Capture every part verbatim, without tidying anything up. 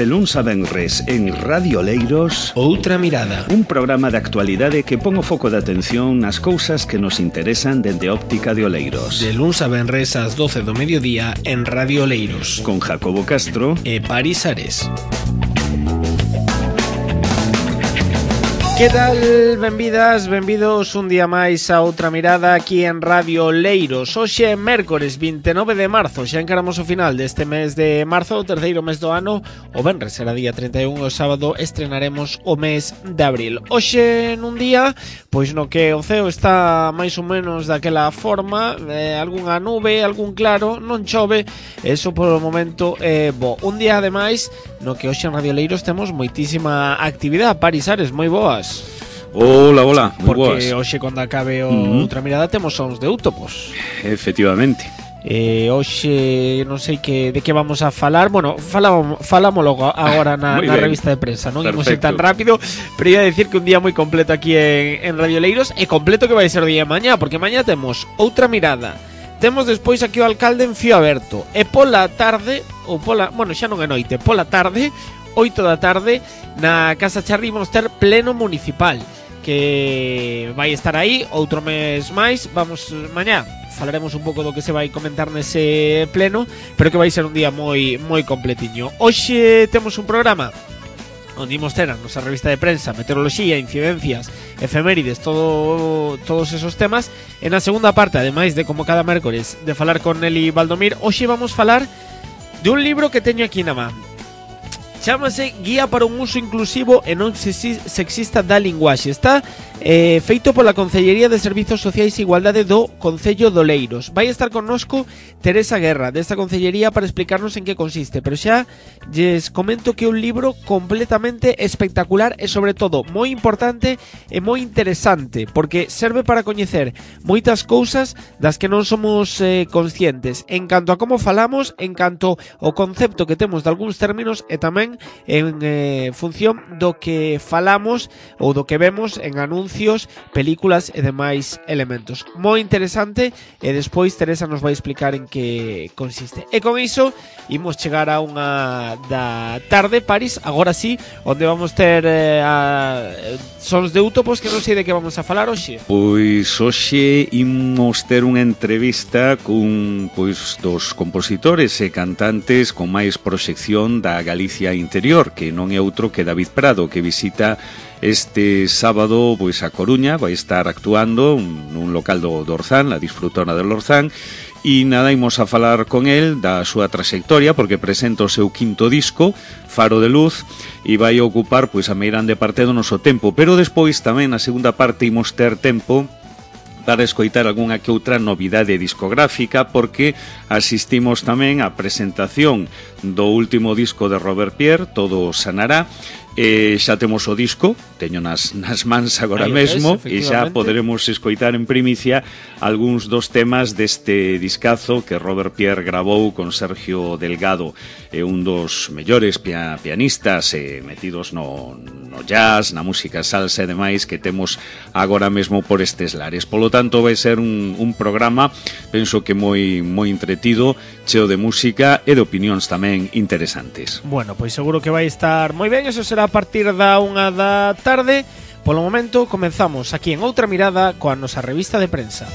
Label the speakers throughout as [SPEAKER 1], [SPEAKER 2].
[SPEAKER 1] De luns a venres en Radio Oleiros,
[SPEAKER 2] Outra Mirada,
[SPEAKER 1] un programa de actualidade que pon o foco de atención nas cousas que nos interesan dende óptica de Oleiros.
[SPEAKER 2] De luns a venres ás doce do mediodía en Radio Oleiros,
[SPEAKER 1] con Jacobo Castro
[SPEAKER 2] e Paris Ares. Que tal? Benvidas, benvidos un día máis a Outra Mirada aquí en Radio Oleiros. Hoxe é mércores vinte e nove de marzo, xa encaramos o final deste mes de marzo, o terceiro mes do ano. O venres será día trinta e un, o sábado estrenaremos o mes de abril. Hoxe nun día, pois no que o ceo está máis ou menos daquela forma, eh, algunha nube, algún claro, non chove, eso polo momento é eh, bo. Un día ademais no que hoxe en Radio Oleiros temos moitísima actividade. Paris Ares, moi boas.
[SPEAKER 1] Hola, hola, moi boas.
[SPEAKER 2] Porque hoxe cando acabe o
[SPEAKER 1] uh-huh.
[SPEAKER 2] Outra Mirada temos sons de Útopos.
[SPEAKER 1] Efectivamente.
[SPEAKER 2] Eh, hoxe non sei que de que vamos a falar. Bueno, falamos, falamos logo agora na, na revista de prensa. Non imos ir tan rápido, pero ia decir que un día moi completo aquí en, en Radio Oleiros. E completo que vai ser o día de mañá, porque mañá temos Outra Mirada. Temos despois aquí o alcalde en Fío Aberto. E pola tarde, ou pola, bueno, xa non é noite, pola tarde, oito da tarde, na Casa Charri vamos ter pleno municipal, que vai estar aí outro mes máis. Vamos mañá falaremos un pouco do que se vai comentar nese pleno, pero que vai ser un día moi moi completiño. Hoxe temos un programa onde imos ter a nosa revista de prensa, meteoroloxía, incidencias, efemérides, todo, todos esos temas. E na segunda parte, ademais de como cada mércores de falar con Nelly Valdomir, hoxe vamos falar de un libro que teño aquí na man. Chámase Guía para un uso inclusivo e non sexista da linguaxe. Está eh, feito pola Concellería de Servizos Sociais e Igualdade do Concello de Oleiros. Vai estar connosco Teresa Guerra, desta Concellería, para explicarnos en que consiste. Pero xa lles comento que é un libro completamente espectacular e, sobre todo, moi importante e moi interesante, porque serve para coñecer moitas cousas das que non somos eh, conscientes, en canto a como falamos, en canto ao concepto que temos de algúns términos, e tamén en eh, función do que falamos ou do que vemos en anuncios, películas e demais elementos. Moi interesante, e despois Teresa nos vai explicar en que consiste. E con iso imos chegar a unha da tarde, Paris, agora sí, onde vamos ter eh, a, sons de Útopos, que non sei de que vamos a falar hoxe.
[SPEAKER 1] Pois hoxe imos ter unha entrevista cun pois dos compositores e cantantes con máis proxección da Galicia interior, que non é outro que David Prado, que visita este sábado pois a Coruña, vai estar actuando nun local do, do Orzán, la Disfrutona del Orzán. E nada, imos a falar con el da súa trayectoria, porque presenta o seu quinto disco, Faro de Luz, e vai ocupar pois a meirande parte do noso tempo. Pero despois tamén na segunda parte imos ter tempo para escoitar algunha que outra novidade discográfica, porque asistimos tamén á presentación do último disco de Robert Pierre, Todo Sanará. E xa temos o disco, teño nas, nas mans agora mesmo, e xa poderemos escoitar en primicia algúns dos temas deste discazo que Robert Pierre gravou con Sergio Delgado, é un dos mellores pia, pianistas eh, metidos no, no jazz, na música salsa e demais que temos agora mesmo por estes lares. Polo tanto, vai ser un, un programa, penso que moi moi entretido, cheo de música e de opinións tamén interesantes.
[SPEAKER 2] Bueno, pois seguro que vai estar moi ben, eso será a partir da unha da tarde. Polo momento comenzamos aquí en Outra Mirada coa nosa revista de prensa.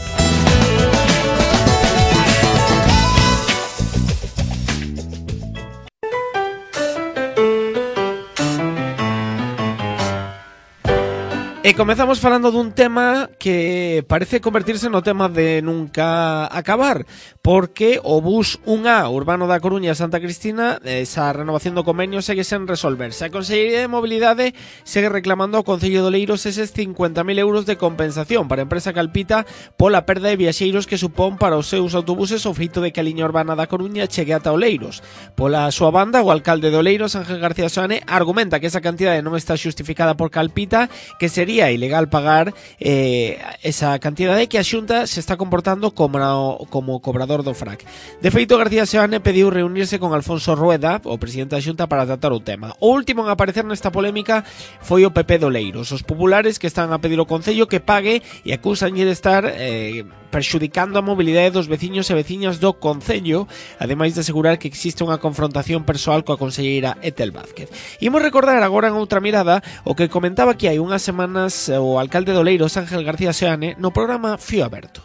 [SPEAKER 2] E comezamos falando dun tema que parece convertirse no tema de nunca acabar, porque o bus un A urbano da Coruña a Santa Cristina, esa renovación do convenio segue sen resolverse. A Consellería de Mobilidade segue reclamando ao Concello de Oleiros eses cincuenta mil euros de compensación para a empresa Calpita pola perda de viaxeiros que supón para os seus autobuses o feito de que a liña urbana da Coruña chegue ata Oleiros. Pola súa banda, o alcalde de Oleiros, Ángel García Soane, argumenta que esa cantidade non está xustificada por Calpita, que sería ilegal pagar eh, esa cantidade, que a Xunta se está comportando como, como cobrador operador do F R A C. De feito, García Seoane pediu reunirse con Alfonso Rueda, o presidente da Xunta, para tratar o tema. O último en aparecer nesta polémica foi o P P de Oleiros. Os populares que están a pedir ao Concello que pague e acusan de estar eh, perxudicando a mobilidade dos veciños e veciñas do Concello, ademais de asegurar que existe unha confrontación persoal coa conselleira Etel Vázquez. Imos recordar agora en outra mirada o que comentaba que hai unhas semanas o alcalde de Oleiros, Ángel García Seoane, no programa Fío Aberto.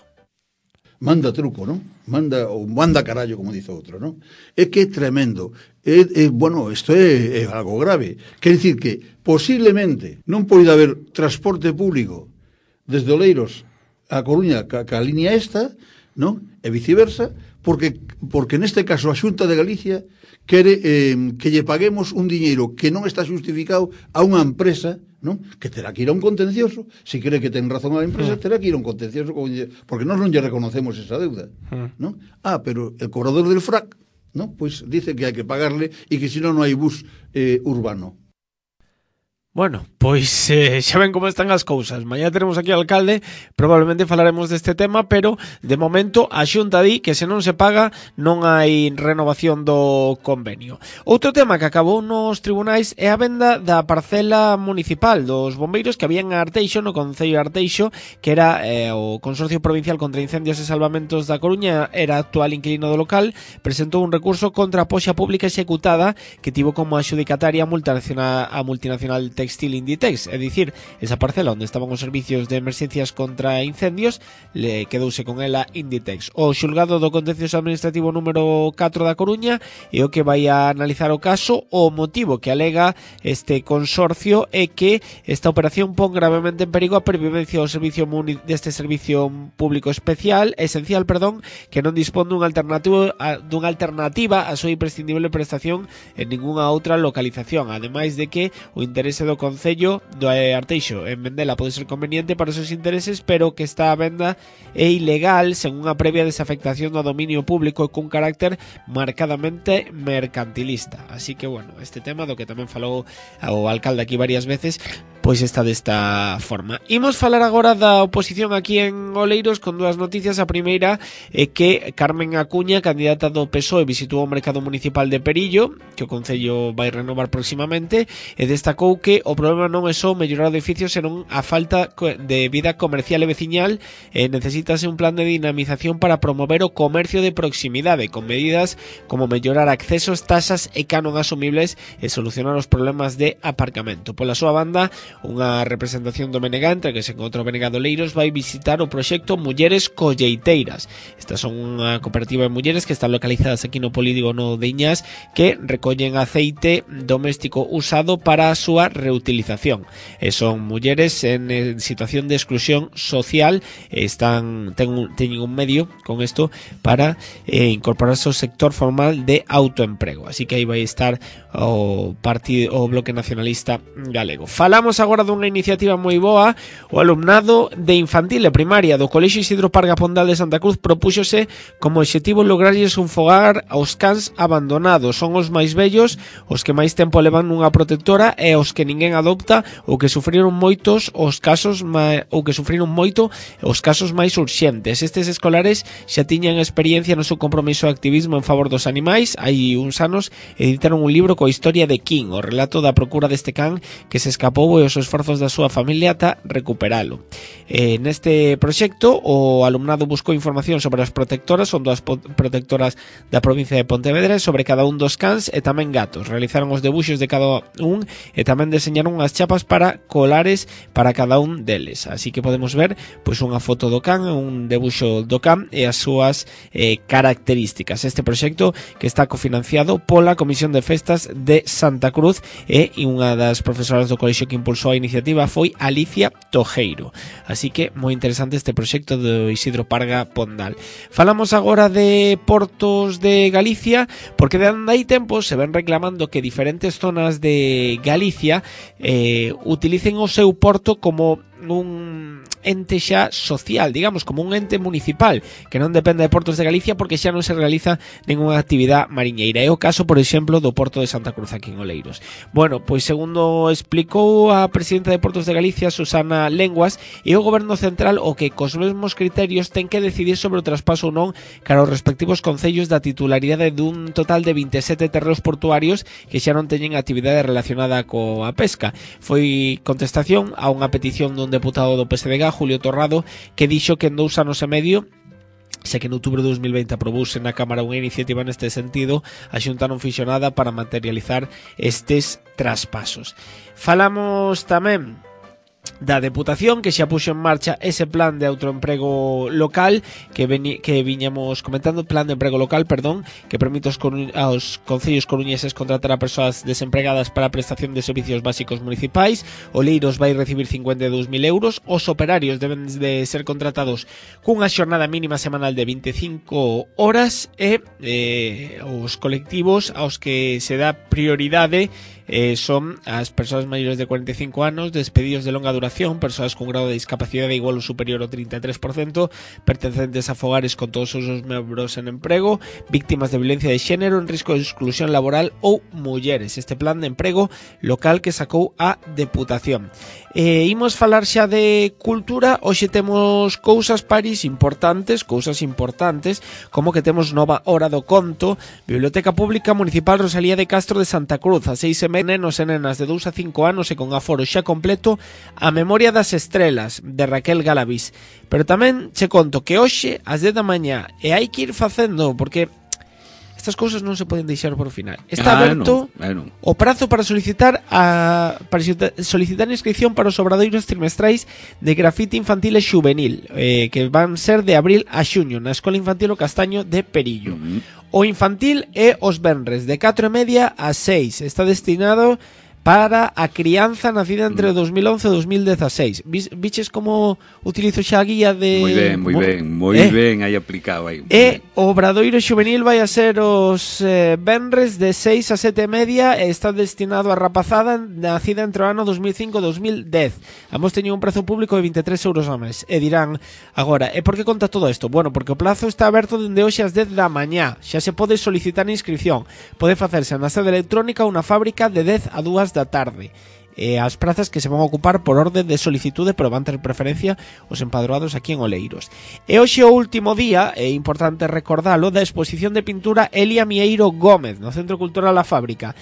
[SPEAKER 3] Manda truco, non? Manda, ou manda carallo, como dice outro, non? É que é tremendo. É, é, bueno, isto é, é algo grave. Quer dicir que, posiblemente, non pode haber transporte público desde Oleiros a Coruña ca, ca línea esta, non? E viceversa, porque, porque neste caso a Xunta de Galicia quere eh, que lle paguemos un diñeiro que non está justificado a unha empresa, non? Que terá que ir a un contencioso. Se cree que ten razón a empresa, terá que ir a un contencioso, porque nós non lle reconocemos esa deuda, non? Ah, pero el cobrador del F R A C, non? Pois dice que hai que pagarle e que senón non hai bus eh, urbano.
[SPEAKER 2] Bueno, pois eh, xa ven como están as cousas. Mañá teremos aquí ao alcalde, probablemente falaremos deste tema, pero de momento a Xunta di que se non se paga non hai renovación do convenio. Outro tema que acabou nos tribunais é a venda da parcela municipal dos bombeiros que habían a Arteixo, no Concello de Arteixo, que era eh, o Consorcio Provincial contra Incendios e Salvamentos da Coruña, era actual inquilino do local, presentou un recurso contra a poxa pública executada que tivo como adxudicataria a multinacional, a multinacional Textil Inditex, é dicir, esa parcela onde estaban os servicios de emerxencias contra incendios, le quedouse con ela Inditex. O xulgado do Contencioso Administrativo número catro da Coruña é o que vai a analizar o caso. O motivo que alega este consorcio é que esta operación pon gravemente en perigo a pervivencia do servicio deste servicio público especial, esencial, perdón, que non dispón dunha alternativa a, dunha alternativa a súa imprescindible prestación en ningunha outra localización, ademais de que o interese do Concello do Arteixo en vendela pode ser conveniente para os seus intereses, pero que esta venda é ilegal sen unha previa desafectación do dominio público e cun carácter marcadamente mercantilista. Así que, bueno, este tema do que tamén falou o alcalde aquí varias veces, pois está desta forma. Imos falar agora da oposición aquí en Oleiros con dúas noticias. A primeira é que Carmen Acuña, candidata do P S O E, visitou o mercado municipal de Perillo, que o Concello vai renovar próximamente, e destacou que o problema non é só mellorar o edificio, senón a falta de vida comercial e veciñal, e necesítase un plan de dinamización para promover o comercio de proximidade, con medidas como mellorar accesos, tasas e canon asumibles e solucionar os problemas de aparcamento. Pola súa banda, unha representación do B N G, entre que se encontra o B N G de Oleiros, vai visitar o proxecto Mulleres Colleiteiras. Estas son unha cooperativa de mulleres que están localizadas aquí no polígono de Iñás, que recollen aceite doméstico usado para a súa reutilización. E son mulleres en, en situación de exclusión social, están ten un, teñen un medio con isto para eh, incorporarse ao sector formal de autoemprego. Así que aí vai estar o partido o Bloque Nacionalista Galego. Falamos agora dunha iniciativa moi boa. O alumnado de infantil e primaria do Colexio Isidro Parga Pondal de Santa Cruz propúxose como obxectivo lograrlles un fogar aos cans abandonados. Son os máis vellos, os que máis tempo levan nunha protectora e os que ninguén adopta, ou que sufriron moitos os casos ou que sufriron moito os casos máis urxentes. Estes escolares xa tiñan experiencia no seu compromiso de activismo en favor dos animais. Hai uns anos editaron un libro coa historia de King, o relato da procura deste can que se escapou e os esforzos da súa familia ata recuperalo. Eh, neste proxecto, o alumnado buscou información sobre as protectoras, son dúas protectoras da provincia de Pontevedra, sobre cada un dos cans e tamén gatos. Realizaron os debuxos de cada un e tamén deseñaron as chapas para colares para cada un deles. Así que podemos ver pois unha foto do can, un debuxo do can e as súas eh, características. Este proxecto que está cofinanciado pola Comisión de Festas de Santa Cruz, e unha das profesoras do colexio que impulsou a iniciativa foi Alicia Tojeiro. Así que moi interesante este proxecto do Isidro Parga Pondal. Falamos agora de portos de Galicia, porque de hai tempo se ven reclamando que diferentes zonas de Galicia eh, utilicen o seu porto como un ente xa social, digamos, como un ente municipal que non depende de Portos de Galicia porque xa non se realiza ninguna actividade mariñeira. É o caso, por exemplo, do Porto de Santa Cruz aquí en Oleiros. Bueno, pois segundo explicou a presidenta de Portos de Galicia, Susana Lenguas, e o Goberno Central o que cos mesmos criterios ten que decidir sobre o traspaso ou non cara aos respectivos concellos da titularidade dun total de vinte e sete terreos portuarios que xa non teñen actividade relacionada coa pesca. Foi contestación a unha petición dun deputado do P S D G, Julio Torrado, que dixo que en dous anos e medio, xa que en outubro de dos mil veinte aprobouse na Cámara unha iniciativa neste sentido, a Xunta non fixo nada para materializar estes traspasos. Falamos tamén da Deputación, que xa puxo en marcha ese plan de autoemprego local que, veni, que viñamos comentando, plan de emprego local, perdón, que permite aos, aos concellos coruñeses contratar a persoas desempregadas para a prestación de servicios básicos municipais. Oleiros vai recibir cincuenta e dous mil euros, os operarios deben de ser contratados cunha xornada mínima semanal de vinte e cinco horas e eh, os colectivos aos que se dá prioridade Eh, son as persoas maiores de cuarenta e cinco anos, despedidos de longa duración, persoas con grado de discapacidade igual ou superior ao trinta e tres por cento, pertencentes a fogares con todos os seus membros en emprego, víctimas de violencia de xénero en risco de exclusión laboral ou mulleres. Este plan de emprego local que sacou a Deputación. Eh, imos falar xa de cultura. Hoxe temos cousas, Paris, importantes, cousas importantes, como que temos nova hora do conto. Biblioteca Pública Municipal Rosalía de Castro de Santa Cruz, a seis e media, nenos e nenas de dous a cinco anos e con aforo xa completo, a Memoria das Estrelas, de Raquel Galavis. Pero tamén che conto que hoxe, ás dez da mañá, e hai que ir facendo, porque estas cousas non se poden deixar por final. Está
[SPEAKER 1] ah,
[SPEAKER 2] aberto
[SPEAKER 1] non, ah, non.
[SPEAKER 2] o prazo para solicitar a para solicitar inscripción para os obradoiros trimestrais de grafite infantil e xuvenil, eh, que van ser de abril a xuño na Escola Infantil O Castaño de Perillo. Uh-huh. O infantil é os venres de catro e media a seis. Está destinado para a crianza nacida entre dos mil once e dos mil dieciséis. Viches como utilizo xa a guía de...
[SPEAKER 1] Moi ben, moi ben, moi eh? ben aí aplicado aí.
[SPEAKER 2] E o obradoiro xuvenil vai a ser os eh, venres de seis a sete e media e está destinado a rapazada nacida entre o ano dos mil cinco e dos mil dez. Ambos teñen un prezo público de vinte e tres euros ao mes. E dirán agora, e por que conta todo isto? Bueno, porque o plazo está aberto dende hoxe ás dez da mañá. Xa se pode solicitar a inscripción. Pode facerse na sede electrónica ou na fábrica de dez a dúas da tarde. E as prazas que se van a ocupar por orde de solicitude, pero van ter preferencia os empadroados aquí en Oleiros. E hoxe o último día, é importante recordalo, da exposición de pintura Elia Mieiro Gómez no Centro Cultural La Fábrica.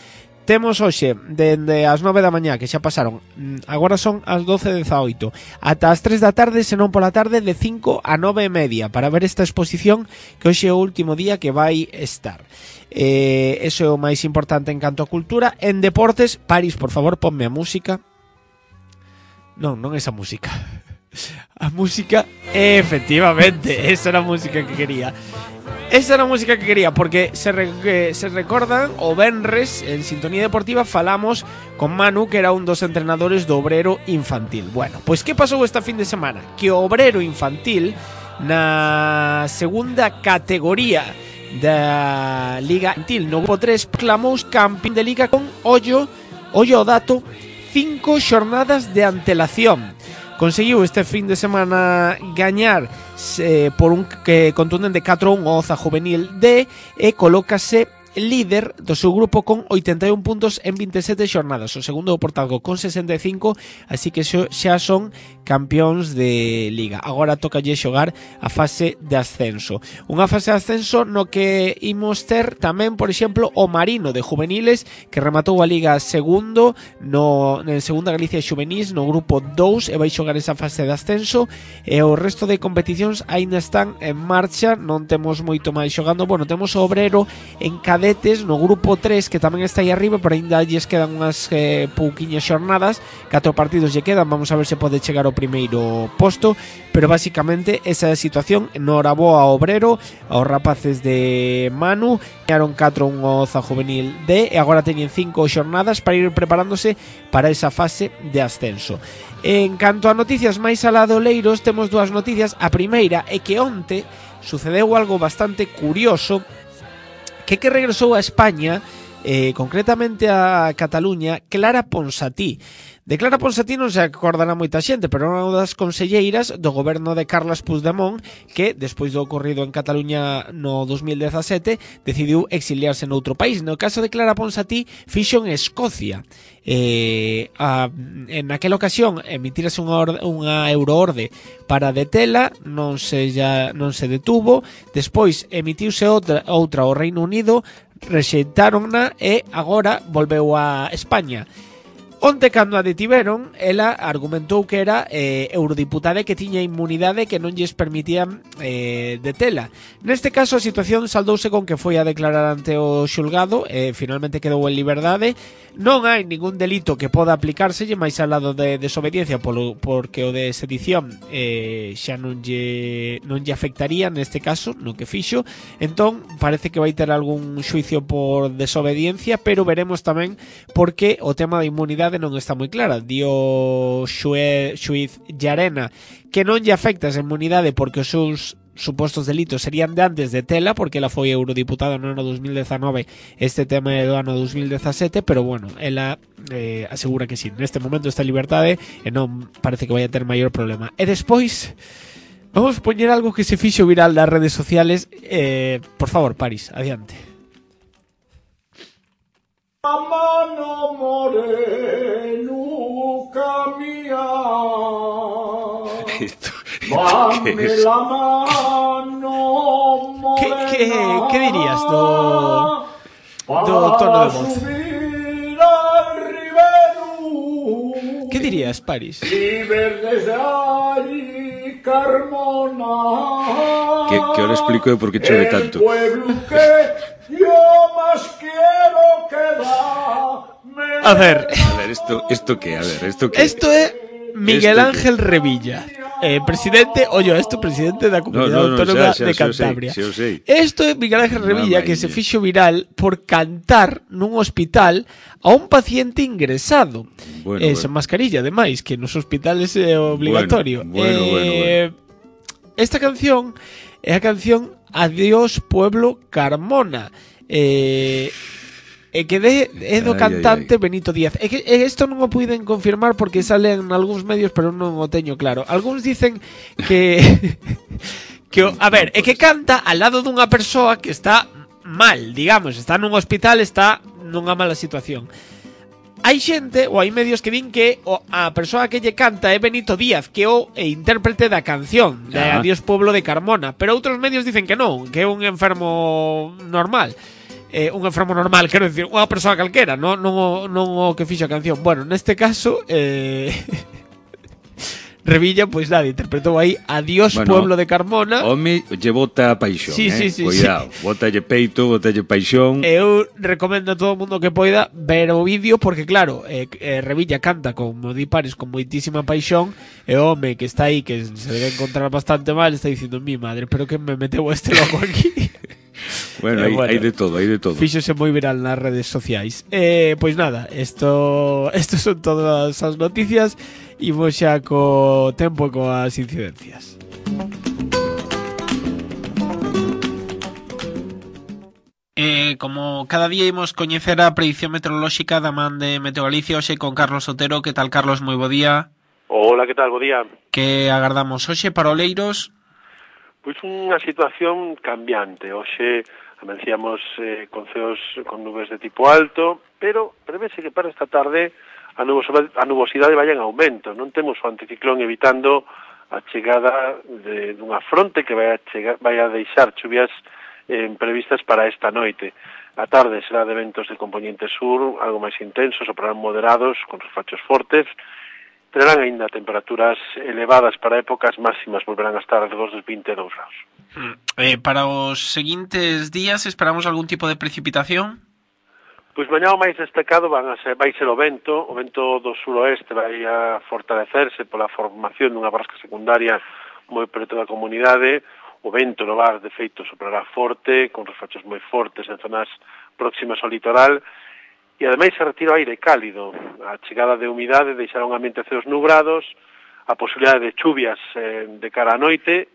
[SPEAKER 2] Temos hoxe, dende as nove da mañá, que xa pasaron, agora son as doce e dezaoito, ata as tres da tarde, senón pola tarde, de cinco a nove e media, para ver esta exposición, que hoxe é o último día que vai estar. Eh, eso é o máis importante en canto a cultura. En deportes, Paris, por favor, ponme a música. Non, non esa música. A música, efectivamente, esa era a música que quería. Esa era a música que quería, porque se, re, que se recordan o venres en Sintonía Deportiva falamos con Manu, que era un dos entrenadores do Obrero Infantil. Bueno, pois que pasou esta fin de semana? Que o Obrero Infantil na segunda categoría da Liga Infantil no grupo tres proclamou campeón de Liga con ollo, ollo o dato, cinco xornadas de antelación. Conseguiu este fin de semana gañar eh, por un que contundente catro a un o Oza Juvenil D e colócase líder do seu grupo con oitenta e un puntos en vinte e sete xornadas. O segundo o Portalgo con sesenta e cinco, así que xa son campións de Liga. Agora tocalle xogar a fase de ascenso. Unha fase de ascenso no que imos ter tamén, por exemplo, o Marino de Juveniles, que rematou a Liga segundo no, en Segunda Galicia Xuvenís no grupo dous e vai xogar esa fase de ascenso, e o resto de competicións aínda están en marcha, non temos moito máis xogando. Bueno, temos o Obrero en cadetes no grupo tres, que tamén está aí arriba, pero aínda lles quedan unhas eh, pouquiñas xornadas, catro partidos lle quedan, vamos a ver se pode chegar ao primeiro posto, pero basicamente esa é a situación. Noraboa ao Obrero, aos rapaces de Manu, gañaron catro a un o Oza Juvenil D e agora teñen cinco xornadas para ir preparándose para esa fase de ascenso. En canto a noticias máis alá de Oleiros, temos dúas noticias. A primeira é que onte sucedeu algo bastante curioso, que que regresou a España, eh, concretamente a Cataluña, Clara Ponsatí. De Clara Ponsatí non se acordará moita xente, pero era unha das conselleiras do goberno de Carles Puigdemont que, despois do ocorrido en Cataluña no dos mil dezasete, decidiu exiliarse noutro país. No caso de Clara Ponsatí, fixo en Escocia. Eh, a, en aquela ocasión emitírase unha, orde, unha euroorde para detela, non se ya non se detuvo. Despois emitiuse outra, outra ao Reino Unido, rexeitáronna e agora volveu a España. Onte, cando a detiveron, ela argumentou que era eh, eurodiputada e que tiña inmunidade que non lles permitían eh, detela. Neste caso, a situación saldouse con que foi a declarar ante o xulgado e eh, finalmente quedou en liberdade. Non hai ningún delito que poda aplicárselle máis al lado de desobediencia polo, porque o de sedición eh, xa non lle, non lle afectaría neste caso, no que fixo. Entón, parece que vai ter algún xuicio por desobediencia, pero veremos tamén porque o tema da inmunidade non está moi clara. Dio xue, xuiz Llarena que non lle afecta esa inmunidade porque os seus supostos delitos serían de antes de tela, porque ela foi eurodiputada no ano dos mil dezanove, este tema é do ano dos mil dezasete, pero bueno, ela eh, asegura que sí, neste momento está en liberdade e non parece que vai a ter maior problema. E despois vamos poñer algo que se fixo viral nas redes sociales. eh, Por favor, Paris, adiante.
[SPEAKER 4] A mano moreno camia.
[SPEAKER 1] Esto, esto ¿qué es?
[SPEAKER 4] La mano morena.
[SPEAKER 2] ¿Qué, qué, qué dirías do, do tono de voz? ¿Qué dirías, Paris?
[SPEAKER 4] Y verdes allí Carmona.
[SPEAKER 1] Que, que ahora explico de por qué chove tanto.
[SPEAKER 4] El pueblo que yo más quiero que da.
[SPEAKER 2] A ver,
[SPEAKER 1] A ver, esto, esto qué, a ver, esto qué.
[SPEAKER 2] esto é Miguel
[SPEAKER 1] Esto
[SPEAKER 2] Ángel Revilla, eh, presidente, oye, esto presidente da Comunidade
[SPEAKER 1] No, no, no,
[SPEAKER 2] Autónoma
[SPEAKER 1] xa, xa,
[SPEAKER 2] de
[SPEAKER 1] xa o sei,
[SPEAKER 2] Cantabria.
[SPEAKER 1] xa o sei.
[SPEAKER 2] Esto é Miguel Ángel Revilla que se
[SPEAKER 1] Mamaña.
[SPEAKER 2] fixo viral por cantar nun hospital a un paciente ingresado.
[SPEAKER 1] Bueno,
[SPEAKER 2] eh,
[SPEAKER 1] bueno.
[SPEAKER 2] sen mascarilla, ademais, que nos hospitales é obligatorio.
[SPEAKER 1] Bueno, bueno,
[SPEAKER 2] eh,
[SPEAKER 1] bueno, bueno.
[SPEAKER 2] Esta canción é a canción Adiós Pueblo Carmona. Eh... E que de, é do
[SPEAKER 1] Ai,
[SPEAKER 2] cantante
[SPEAKER 1] ai, ai.
[SPEAKER 2] Benito Díaz. É que e isto non o puiden confirmar porque salen algúns medios, pero non o teño claro. Algúns dicen que que o, a ver, é que canta al lado dunha persoa que está mal, digamos, está nun hospital, está nunha mala situación. Hai xente, ou hai medios que din que o, a persoa que lle canta é Benito Díaz, que é o e intérprete da canción de
[SPEAKER 1] Ah.
[SPEAKER 2] Adiós Pueblo de Carmona, pero outros medios dicen que non, que é un enfermo normal. Eh, un enfermo normal, quero dicir, unha persoa calquera, non, non, o, non o que fixo a canción. Bueno, neste caso eh... Revilla, pois nada, interpretou aí Adiós
[SPEAKER 1] Bueno,
[SPEAKER 2] Pueblo de Carmona.
[SPEAKER 1] Home, lle bota paixón,
[SPEAKER 2] Sí,
[SPEAKER 1] eh?
[SPEAKER 2] sí, sí,
[SPEAKER 1] Cuidado,
[SPEAKER 2] sí.
[SPEAKER 1] bótalle peito, bótalle paixón.
[SPEAKER 2] Eu recomendo a todo o mundo que poida ver o vídeo porque claro, eh, eh, Revilla canta como di Paris con moitísima paixón e o home que está aí que se debe encontrar bastante mal está dicindo mi madre, pero que me meteu este loco aquí.
[SPEAKER 1] Bueno,
[SPEAKER 2] Eh,
[SPEAKER 1] hai,
[SPEAKER 2] bueno,
[SPEAKER 1] hai de todo, hai de todo.
[SPEAKER 2] Fíxose moi viral nas redes sociais. Eh, pois nada, esto esto son todas as noticias. Imos xa co tempo e coas incidencias. Eh, como cada día imos coñecer a predición meteorolóxica da man de Meteo Galicia, hoxe con Carlos Otero. Que tal, Carlos? Moi bo día.
[SPEAKER 5] Hola, que tal? Bo día.
[SPEAKER 2] Que agardamos hoxe para Oleiros?
[SPEAKER 5] Pois unha situación cambiante. Hoxe amencíamos eh, con ceos con nubes de tipo alto, pero prevese que para esta tarde a, nubosidade, a nubosidade vai en aumento. Non temos o anticiclón evitando a chegada de, dunha fronte que vai a, chegar, vai a deixar chuvias eh, previstas para esta noite. A tarde será de ventos de componente sur, algo máis intensos, soprarán moderados, con refachos fortes. Terán aínda temperaturas elevadas para épocas máximas, volverán a estar alrededor dos vinte e dous graus.
[SPEAKER 2] Eh, para os seguintes días esperamos algún tipo de precipitación?
[SPEAKER 5] Pois mañá o máis destacado van a ser, vai ser o vento, o vento do suroeste vai a fortalecerse pola formación dunha borrasca secundaria moi preto da comunidade. O vento no var, de feito, soprará forte, con refachos moi fortes en zonas próximas ao litoral. E ademais se retira o aire cálido. A chegada de humidade deixará un ambiente ceos nubrados, a posibilidade de chuvias eh, de cara á noite,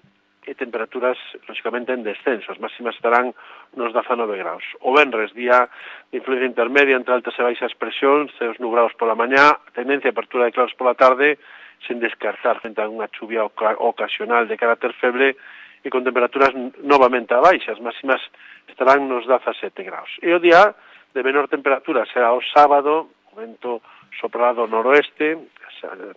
[SPEAKER 5] e temperaturas, lógicamente, en descenso. As máximas estarán nos dezanove graus. O venres, día de influencia intermedia entre altas e baixas presións, ceos nubrados pola mañá, tendencia a apertura de claros pola tarde, sen descartar frente a unha chuvia ocasional de carácter feble e con temperaturas novamente a baixa. As máximas estarán nos dezasete graus. E o día de menor temperatura será o sábado, o vento soprará do noroeste,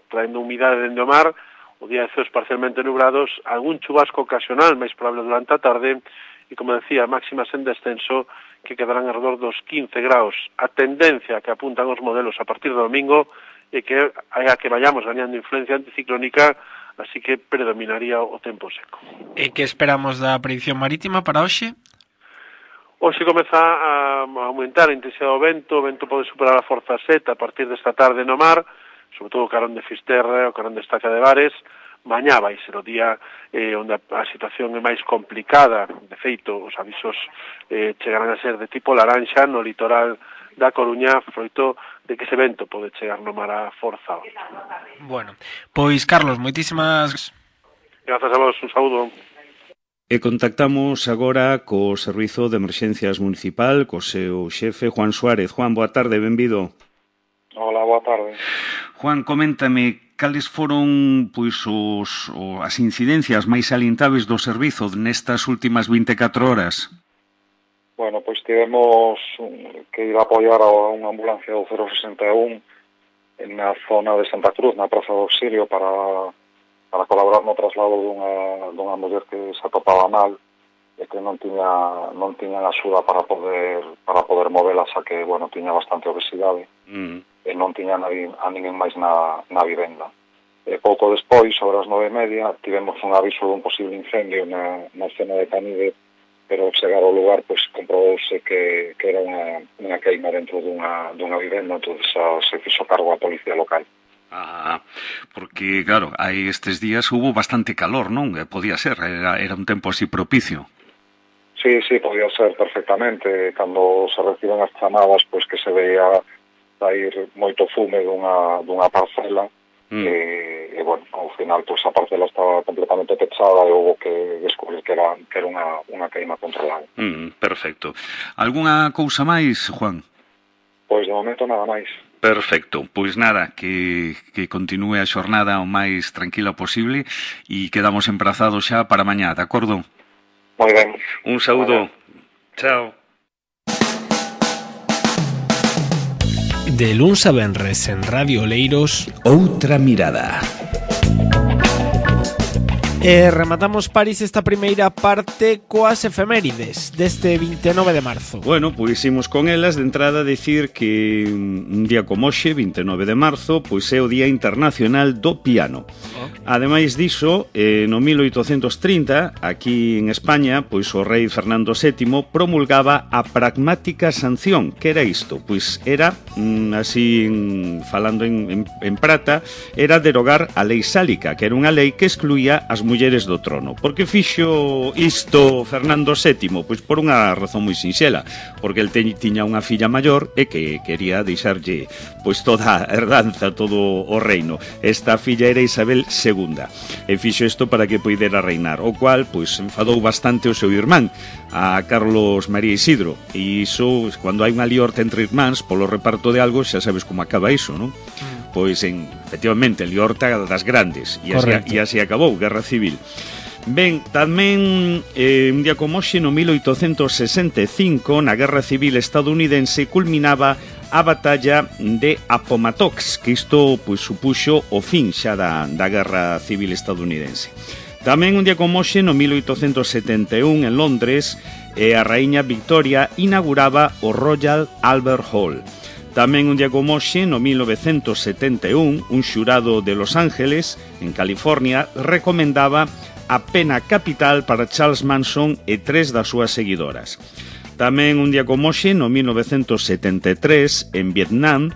[SPEAKER 5] traendo humidade dende o mar, o día de ceos parcialmente nubrados, algún chubasco ocasional máis probable durante a tarde, e, como decía, máximas en descenso que quedarán alrededor dos quince graus. A tendencia que apuntan os modelos a partir do domingo é que a que vayamos gañando influencia anticiclónica, así que predominaría o tempo seco.
[SPEAKER 2] E que esperamos da predición marítima para hoxe?
[SPEAKER 5] Hoxe comeza a aumentar a intensidade do vento, o vento pode superar a forza sete a partir desta tarde no mar, sobre todo o carón de Fisterra, o carón de Estaca de Bares. Mañá vai ser o día eh, onde a, a situación é máis complicada. De feito, os avisos eh, chegarán a ser de tipo laranxa no litoral da Coruña, froito de que ese vento pode chegar no mar a forza.
[SPEAKER 2] Bueno, pois, Carlos, moitísimas...
[SPEAKER 5] Grazas a vos, un saúdo.
[SPEAKER 1] E contactamos agora co Servizo de Emerxencias Municipal, co seu xefe, Juan Suárez. Juan, boa tarde, benvido.
[SPEAKER 6] Hola, boa tarde.
[SPEAKER 1] Juan, coméntame, cales foron pois os, o, as incidencias máis salientáveis do servizo nestas últimas vinte e catro horas?
[SPEAKER 6] Bueno, pois tivemos que ir a apoiar a unha ambulancia do cero sesenta e un na zona de Santa Cruz, na Praza do Auxilio, para, para colaborar no traslado dunha, dunha muller que se atopaba mal e que non tiña non tiñan axuda para poder para poder movela, xa que, bueno, tiña bastante obesidade. Mm. E non tiña a, a ninguén máis na, na vivenda. E pouco despois, sobre as nove e media, tivemos un aviso dun posible incendio na, na zona de Canide, pero ao chegar ao lugar, pois, comprobouse que, que era unha, unha queima dentro dunha, dunha vivenda, entón se fixo cargo a policía local.
[SPEAKER 1] Ah, porque, claro, hai estes días hubo bastante calor, non? Podía ser, era, era un tempo así propicio.
[SPEAKER 6] Sí, sí, podía ser perfectamente. Cando se reciben as chamadas, pois que se veía sair moito fume dunha, dunha parcela, mm. e, e, bueno, ao final, pois a parcela estaba completamente pechada e houve que descubrir que era, que era unha, unha queima controlada.
[SPEAKER 1] Mm, perfecto. Alguna cousa máis, Juan?
[SPEAKER 6] Pois de momento nada máis.
[SPEAKER 1] Perfecto, pois nada, que, que continúe a xornada o máis tranquila posible e quedamos emprazados xa para mañá, de acordo?
[SPEAKER 6] Moi ben.
[SPEAKER 1] Un saúdo. Chao.
[SPEAKER 2] De luns a venres en Radio Oleiros,
[SPEAKER 1] Outra Mirada.
[SPEAKER 2] E rematamos, París, esta primeira parte coas efemérides deste vinte e nove de marzo.
[SPEAKER 1] Bueno, pois imos con elas. De entrada dicir que un día como hoxe, vinte e nove de marzo, pois é o Día Internacional do Piano. Oh. Ademais diso, eh, no mil oitocentos trinta, aquí en España, pois o rei Fernando sétimo promulgaba a pragmática sanción. Que era isto? Pois era, mm, así en, falando en, en, en prata, era derogar a lei sálica, que era unha lei que excluía as mulleres do trono. Por que fixo isto Fernando sétimo? Pois por unha razón moi sinxela, porque el te, tiña unha filla maior e que quería deixarlle pois toda a herdanza, todo o reino. Esta filla era Isabel segunda e fixo isto para que poidera reinar, o cual pois enfadou bastante o seu irmán, a Carlos María Isidro, e iso, cando hai unha liorta entre irmáns polo reparto de algo, xa sabes como acaba iso, non? Pois, en, efectivamente, en liorta das grandes, e así, e así acabou, Guerra Civil. Ben, tamén eh, un día como hoxe, no mil oitocentos sesenta e cinco, na Guerra Civil estadounidense, culminaba a batalla de Appomattox, que isto pois, supuxo o fin xa da, da Guerra Civil estadounidense. Tamén un día como hoxe, no mil oitocentos setenta e un, en Londres, eh, a raíña Victoria inauguraba o Royal Albert Hall. Tamén un día como hoxe, no mil novecentos setenta e un, un xurado de Los Ángeles, en California, recomendaba a pena capital para Charles Manson e tres das súas seguidoras. Tamén un día como hoxe, no mil novecentos setenta e tres, en Vietnam,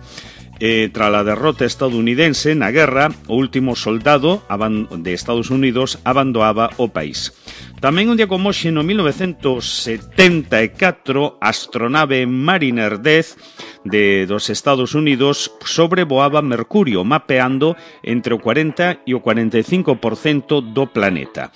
[SPEAKER 1] eh, tras a derrota estadounidense na guerra, o último soldado de Estados Unidos abandoaba o país. Tamén un día como hoxe, no mil novecentos setenta e catro, a astronave Mariner dez de dos Estados Unidos sobrevoaba Mercurio, mapeando entre o cuarenta e o cuarenta e cinco por cento do planeta.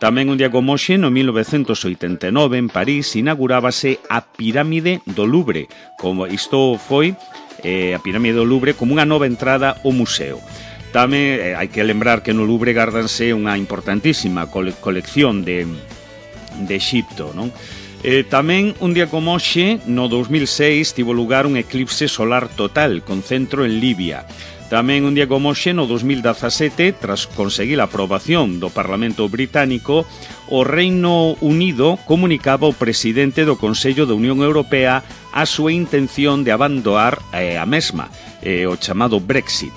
[SPEAKER 1] Tamén un día como hoxe, no mil novecentos oitenta e nove, en París, inaugurábase a Pirámide do Louvre. Como isto foi eh, a Pirámide do Louvre como unha nova entrada ao museo. Tamén eh, hai que lembrar que no Louvre gardanse unha importantísima cole colección de, de Exipto, non? Eh, tamén, un día como hoxe, no dos mil seis, tivo lugar un eclipse solar total, con centro en Libia. Tamén, un día como hoxe, no dos mil dezasete, tras conseguir a aprobación do Parlamento Británico, o Reino Unido comunicaba ao presidente do Consello da Unión Europea a súa intención de abandonar eh, a mesma, eh, o chamado Brexit.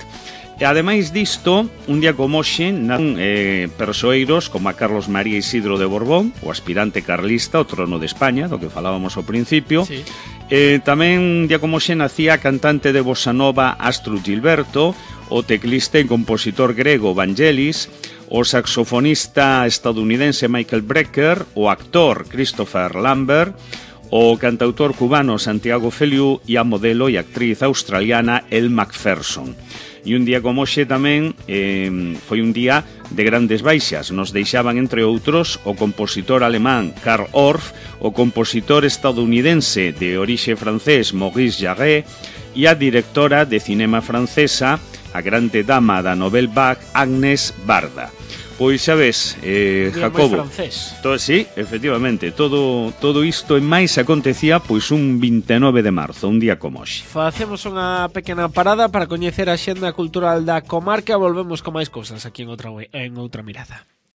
[SPEAKER 1] E ademais disto, un día como hoxe, nan eh, persoeiros como a Carlos María Isidro de Borbón, o aspirante carlista ao trono de España, do que falábamos ao principio. Sí. Eh, tamén un día como hoxe nacía a cantante de bossa nova Astrud Gilberto, o teclista e compositor grego Vangelis, o saxofonista estadounidense Michael Brecker, o actor Christopher Lambert, o cantautor cubano Santiago Feliu e a modelo e actriz australiana Elle Macpherson. E un día como hoxe tamén eh, foi un día de grandes baixas. Nos deixaban, entre outros, o compositor alemán Karl Orff, o compositor estadounidense de orixe francés Maurice Jarre e a directora de cinema francesa, a grande dama da Nouvelle Vague, Agnès Varda. Pois xa ves, eh, Jacobo, todo, sí, efectivamente, todo, todo isto e máis acontecía pois un vinte e nove de marzo, un día como hoxe.
[SPEAKER 2] Facemos unha pequena parada para coñecer a xenda cultural da comarca. Volvemos con máis cousas aquí en outra, en outra mirada.